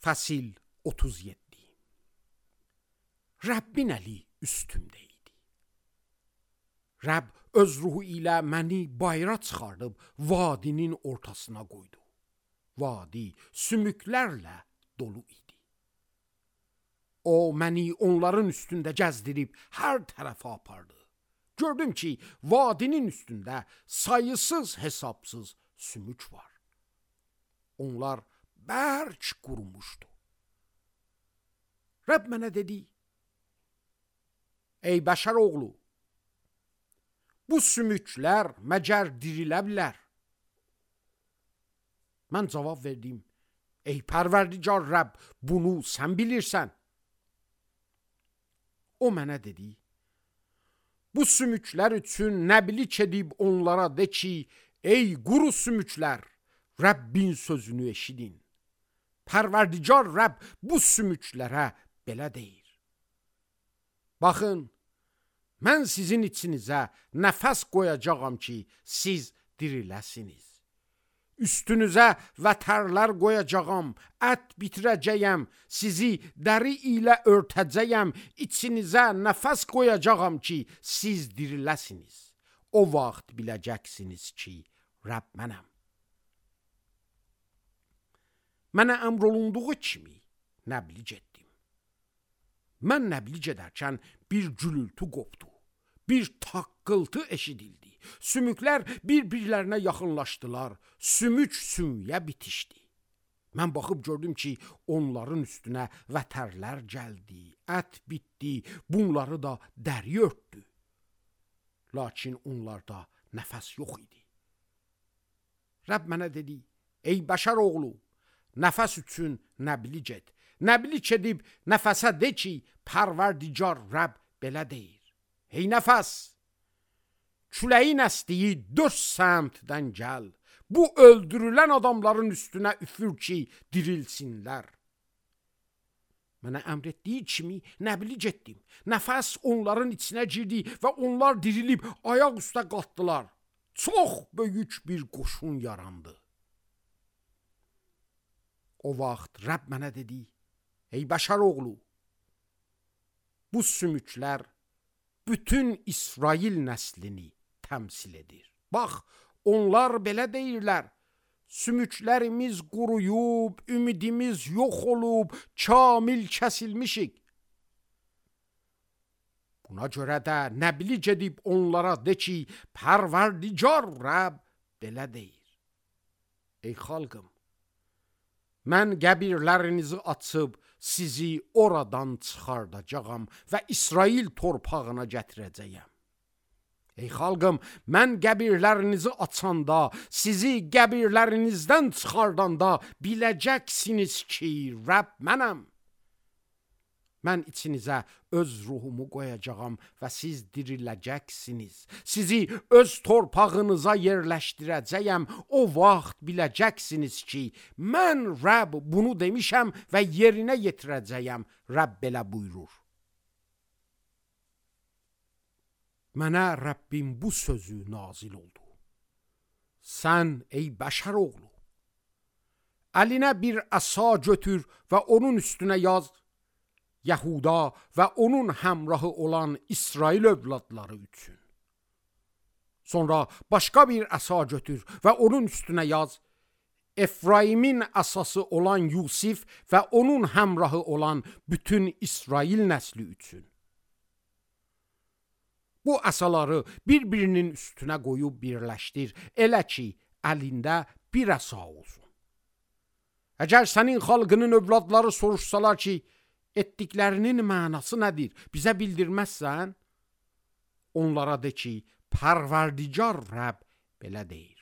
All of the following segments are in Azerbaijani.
Fəsil 37. Rəbbin əli üstümdə idi. Rəbb öz ruhu ilə məni bayıra çıxardıb vadinin ortasına qoydu. Vadi sümüklərlə dolu idi. O məni onların üstündə gəzdirib hər tərəfə apardı. Gördüm ki, vadinin üstündə sayısız hesabsız sümük var. Onlar bərk qurumuşdu. Rəbb mənə dedi: Ey bəşər oğlu, bu sümüklər məgər dirilə bilər? Mən cavab verdim: Ey Pərverdigar Rəbb, bunu sən bilirsən. O mənə dedi: Bu sümüklər üçün nəbilik edib onlara de ki, ey quru sümüklər, Rəbbin sözünü eşidin. Pərverdigar Rəbb bu sümüklərə belə deyir: Baxın, mən sizin içinizə nəfəs qoyacağam ki, siz diriləsiniz. Üstünüzə vətərlər qoyacağam, ət bitirəcəyəm, sizi dəri ilə örtəcəyəm, içinizə nəfəs qoyacağam ki, siz diriləsiniz. O vaxt biləcəksiniz ki, Rəbb mənəm. Mənə əmr olunduğu kimi nəblic etdim. Mən nəblic edərkən bir gülültü qopdu, bir taqqıltı eşidildi. Sümüklər bir-birlərinə yaxınlaşdılar, sümük sümüyə bitişdi. Mən baxıb gördüm ki, onların üstünə vətərlər gəldi, ət bitdi, bunları da dəri örtdü. Lakin onlarda nəfəs yox idi. Rəbb mənə dedi: Ey bəşər oğlu, nəfəs üçün nəblic et. Nəblic edib nəfəsə de ki, Pərverdigar Rəbb belə deyir: Ey nəfəs, küləyin əsdiyi 4 səmtdən gəl, bu öldürülən adamların üstünə üfür ki, dirilsinlər. Mənə əmr etdiyi kimi nəblic etdim. Nəfəs onların içinə girdi və onlar dirilib ayaq üstə qalxdılar. Çox böyük bir qoşun yarandı. O vaxt Rəbb mənə dedi: Ey bəşər oğlu, bu sümüklər bütün İsrail nəslini təmsil edir. Bax, onlar belə deyirlər: Sümüklərimiz quruyub, ümidimiz yox olub, kamil kəsilmişik. Buna görə də nəblic edib onlara de ki, Pərverdigar Rəbb belə deyir: Ey xalqım, mən qəbirlərinizi açıb sizi oradan çıxardacağam və İsrail torpağına gətirəcəyəm. Ey xalqım, mən qəbirlərinizi açanda, sizi qəbirlərinizdən çıxardanda biləcəksiniz ki, Rəbb mənəm. Mən içinizə öz ruhumu qoyacağam və siz diriləcəksiniz. Sizi öz torpağınıza yerləşdirəcəyəm. O vaxt biləcəksiniz ki, mən Rəbb bunu demişəm və yerinə yetirəcəyəm. Rəbb belə buyurur. Mənə Rəbbin bu sözü nazil oldu: Sən, ey bəşər oğlu, əlinə bir əsa götür və onun üstünə yaz: Yahuda və onun həmrahı olan İsrail övladları üçün. Sonra başqa bir əsa götür və onun üstünə yaz: Efraimin əsası olan Yusif və onun həmrahı olan bütün İsrail nəsli üçün. Bu əsaları bir-birinin üstünə qoyub birləşdir, elə ki, əlində bir əsa olsun. Əgər sənin xalqının övladları soruşsalar ki, etdiklərinin mənası nədir, bizə bildirməzsən? Onlara de ki, Pərverdigar Rəbb belə deyir: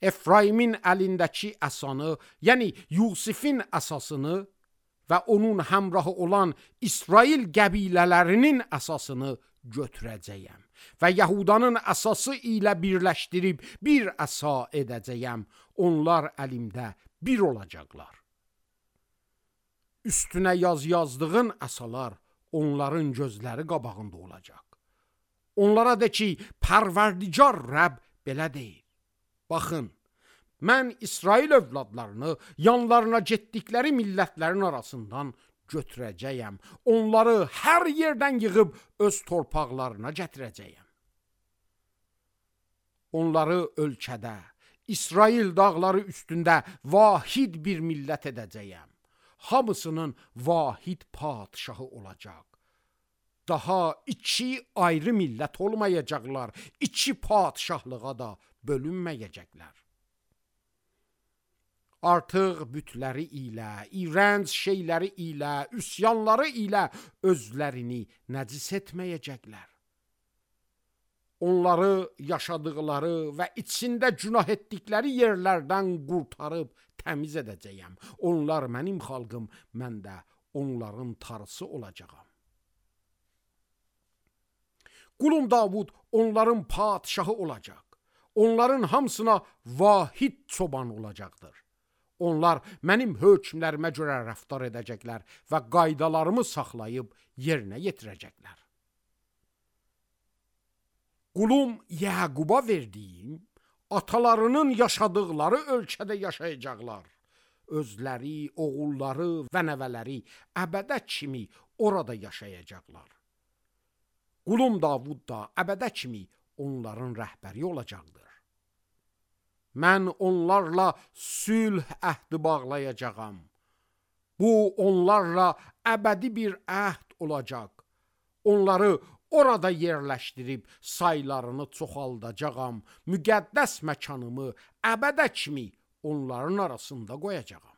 Efraimin əlindəki əsanı, yəni Yusifin əsasını və onun həmrahı olan İsrail qəbilələrinin əsasını götürəcəyəm və Yahudanın əsası ilə birləşdirib bir əsa edəcəyəm. Onlar əlimdə bir olacaqlar. Üstünə yazdığın əsalar onların gözləri qabağında olacaq. Onlara de ki, Pərverdigar Rəbb belə deyir: Baxın, Mən İsrail övladlarını yanlarına getdikləri millətlərin arasından götürəcəyəm. Onları hər yerdən yığıb öz torpaqlarına gətirəcəyəm. Onları ölkədə, İsrail dağları üstündə vahid bir millət edəcəyəm. Hamısının vahid padşahı olacaq. Daha iki ayrı millət olmayacaqlar. İki padşahlığa da bölünməyəcəklər. Artıq bütləri ilə, iğrənc şeyləri ilə, üsyanları ilə özlərini nəcis etməyəcəklər. Onları yaşadıqları və içində günah etdikləri yerlərdən qurtarıb təmiz edəcəyəm. Onlar mənim xalqım, mən də onların tarısı olacağam. Qulum Davud onların padşahı olacaq. Onların hamısına vahid çoban olacaqdır. Onlar mənim hökmlərimə görə rəftar edəcəklər və qaydalarımı saxlayıb yerinə yetirəcəklər. Qulum Yaquba verdiyim, atalarının yaşadıqları ölkədə yaşayacaqlar. Özləri, oğulları və nəvələri əbədə kimi orada yaşayacaqlar. Qulum Davud da əbədə kimi onların rəhbəri olacaqdır. Mən onlarla sülh əhdi bağlayacağam. Bu onlarla əbədi bir əhd olacaq. Onları orada yerləşdirib saylarını çoxaldacağam. Müqəddəs məkanımı əbədə kimi onların arasında qoyacağam.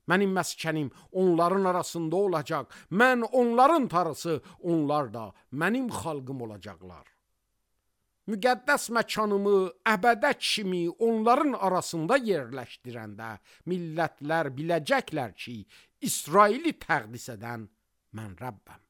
Mənim məskənim onların arasında olacaq. Mən onların tarısı, onlar da mənim xalqım olacaqlar. Müqəddəs məkanımı əbədə kimi onların arasında yerləşdirəndə millətlər biləcəklər ki, İsraili təqdis edən mən Rəbbəm.